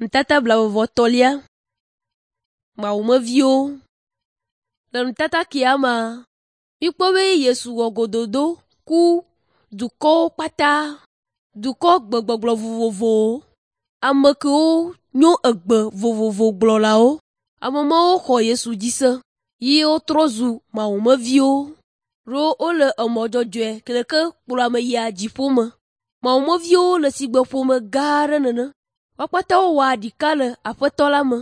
Nutata blaeve-vɔ-etɔ̃lia. Mawumeviwo. Le nutata kia mea, míkpɔ be Yesu wɔ gododo ku dukɔwo kpata, dukɔ gbegbɔgblɔ vovovowo, ame kewo nyo egbe vovovo gblɔlawo. Ame mawo xɔ Yesu dzi se ye wotrɔ zu mawumeviwo ɖo wole emɔ dzɔdzɔe ke ɖeke kplɔ ame yia dziƒo me. Mawumeviwo le sigbe ƒome gã aɖe nene. Wo kpata wowɔa ɖeka le Aƒetɔ la me.